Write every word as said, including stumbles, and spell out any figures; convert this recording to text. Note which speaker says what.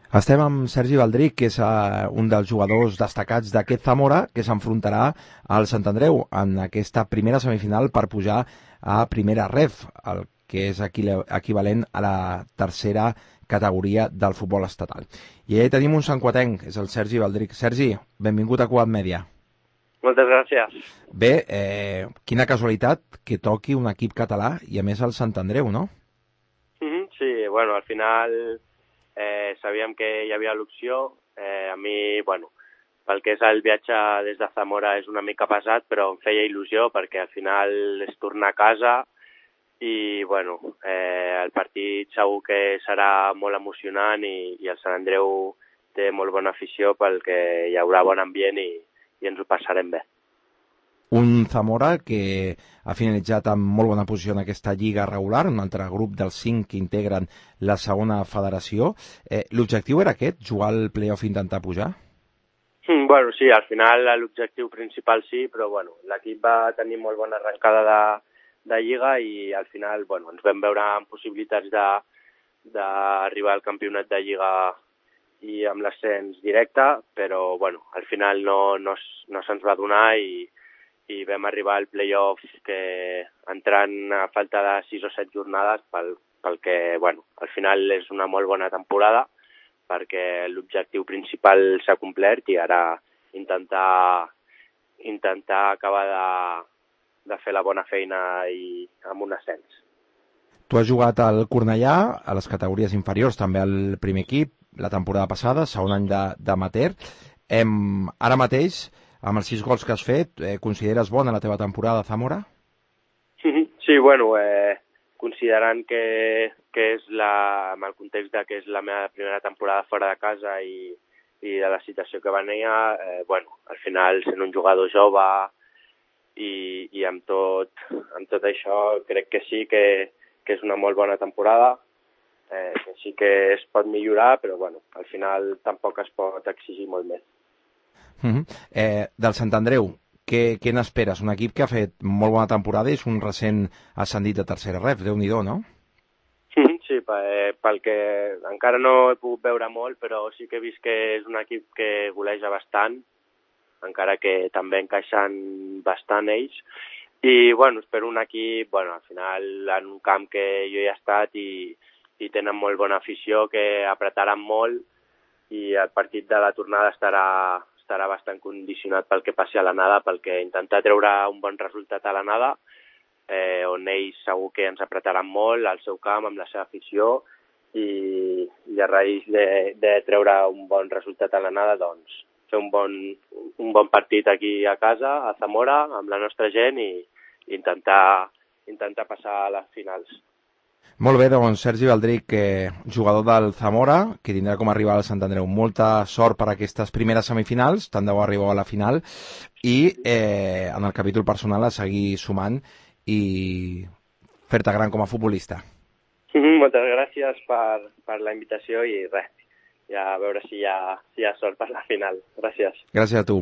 Speaker 1: Estem amb Sergi Baldric, que és uh, un dels jugadors destacats d'aquest Zamora, que s'enfrontarà al Sant Andreu en aquesta primera semifinal per pujar a primera ref, el que és equivalent a la tercera categoria del futbol estatal. I allà tenim un santcuatenc, és el Sergi Baldric. Sergi, benvingut a Quad Media.
Speaker 2: Moltes gràcies.
Speaker 1: Bé, eh, quina casualitat que toqui un equip català i a més el Sant Andreu, no?
Speaker 2: Mm-hmm, sí, bueno, al final eh, sabíem que hi havia l'opció. Eh, a mi, bueno, pel que és el viatge des de Zamora és una mica pesat, però em feia il·lusió perquè al final és tornar a casa i, bueno, eh, el partit segur que serà molt emocionant i, i el Sant Andreu té molt bona afició perquè hi haurà bon ambient i, i ens ho passarem bé.
Speaker 1: Un Zamora que ha finalitzat amb molt bona posició en aquesta lliga regular, un altre grup dels cinc que integren la segona federació. Eh, L'objectiu era aquest, jugar al play-off i intentar pujar?
Speaker 2: Mm, bueno, sí, al final l'objectiu principal sí, però bueno, l'equip va tenir molt bona arrencada de, de lliga i al final bueno, ens vam veure amb possibilitats d'arribar al campionat de lliga i amb l'ascens directe, però bueno, al final no, no, no se'ns va donar i i vam arribar al play-off que entrant a falta de sis o set jornades pel, pel que, bueno, al final és una molt bona temporada perquè l'objectiu principal s'ha complert i ara intentar, intentar acabar de, de fer la bona feina i amb un ascens.
Speaker 1: Tu has jugat al Cornellà, a les categories inferiors, també al primer equip, la temporada passada, segon any d'amateur. Ara mateix, amb els sis gols que has fet, eh, consideres bona la teva temporada a Zamora?
Speaker 2: Sí, bueno, eh, considerant que, que és la, amb el context de que és la meva primera temporada fora de casa i, i de la situació que venia, eh, bueno, al final sent un jugador jove i, i amb, tot, amb tot això crec que sí que, que és una molt bona temporada, eh, que sí que es pot millorar, però bueno, al final tampoc es pot exigir molt més.
Speaker 1: Uh-huh. eh, del Sant Andreu, què, què n'esperes? Un equip que ha fet molt bona temporada i és un recent ascendit a tercera ref, Déu-n'hi-do, no?
Speaker 2: Sí, pel que encara no he pogut veure molt, però sí que he vist que és un equip que goleja bastant, encara que també encaixen bastant ells. I, bueno, espero un equip, bueno, al final en un camp que jo he estat i, i tenen molt bona afició, que apretaran molt i el partit de la tornada estarà estarà bastant condicionat pel que passi a l'anada, pel que intentar treure un bon resultat a l'anada, eh, on ells segur que ens apretaran molt al seu camp, amb la seva afició, i, i a raïs de, de treure un bon resultat a l'anada, doncs, fer un bon, un bon partit aquí a casa, a Zamora, amb la nostra gent, i, i intentar, intentar passar a les finals.
Speaker 1: Molt bé, doncs Sergi Baldric, eh, jugador del Zamora, que tindrà com a rival al Sant Andreu. Molta sort per a aquestes primeres semifinals, tant de bo arribeu a la final, i eh, en el capítol personal a seguir sumant i fer-te gran com a futbolista.
Speaker 2: Moltes gràcies per, per la invitació i res, ja a veure si hi ha, si hi ha sort per la final. Gràcies.
Speaker 1: Gràcies a tu.